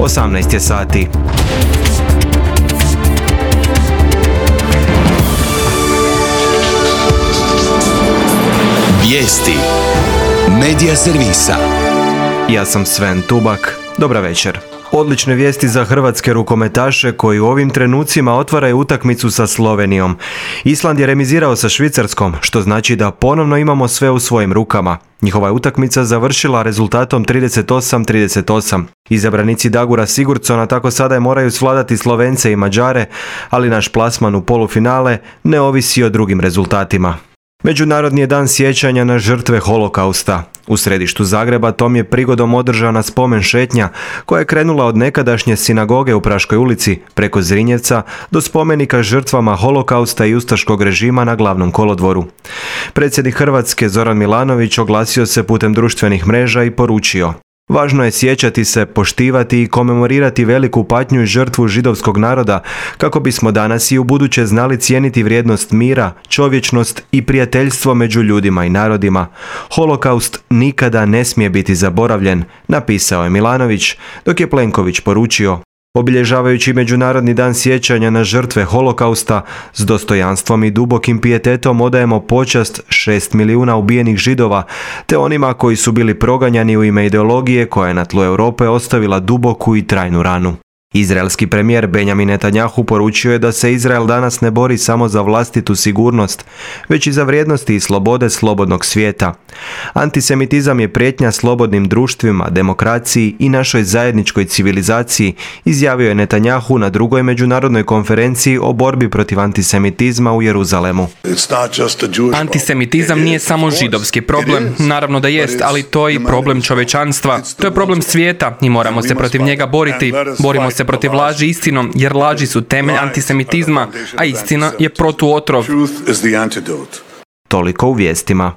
18 je sati. Vijesti Medija servisa. Ja sam Sven Tubak. Dobra večer. Odlične vijesti za hrvatske rukometaše koji u ovim trenucima otvaraju utakmicu sa Slovenijom. Island je remizirao sa Švicarskom, što znači da ponovno imamo sve u svojim rukama. Njihova je utakmica završila rezultatom 38-38. Izabranici Dagura Sigurdsona tako sada moraju svladati Slovence i Mađare, ali naš plasman u polufinale ne ovisi o drugim rezultatima. Međunarodni je dan sjećanja na žrtve holokausta. U središtu Zagreba tom je prigodom održana spomen šetnja koja je krenula od nekadašnje sinagoge u Praškoj ulici preko Zrinjevca do spomenika žrtvama holokausta i ustaškog režima na Glavnom kolodvoru. Predsjednik Hrvatske Zoran Milanović oglasio se putem društvenih mreža i poručio: važno je sjećati se, poštivati i komemorirati veliku patnju i žrtvu židovskog naroda kako bismo danas i ubuduće znali cijeniti vrijednost mira, čovječnost i prijateljstvo među ljudima i narodima. Holokaust nikada ne smije biti zaboravljen, napisao je Milanović, dok je Plenković poručio: obilježavajući Međunarodni dan sjećanja na žrtve holokausta, s dostojanstvom i dubokim pijetetom odajemo počast 6 milijuna ubijenih Židova, te onima koji su bili proganjani u ime ideologije koja je na tlu Europe ostavila duboku i trajnu ranu. Izraelski premijer Benjamin Netanjahu poručio je da se Izrael danas ne bori samo za vlastitu sigurnost, već i za vrijednosti i slobode slobodnog svijeta. Antisemitizam je prijetnja slobodnim društvima, demokraciji i našoj zajedničkoj civilizaciji, izjavio je Netanjahu na drugoj međunarodnoj konferenciji o borbi protiv antisemitizma u Jeruzalemu. Antisemitizam nije samo židovski problem, naravno da jest, ali to je i problem čovječanstva. To je problem svijeta i moramo se protiv njega boriti. Borimo se protiv laži istinom, jer laži su temelj antisemitizma, a istina je protuotrov. Toliko u vijestima.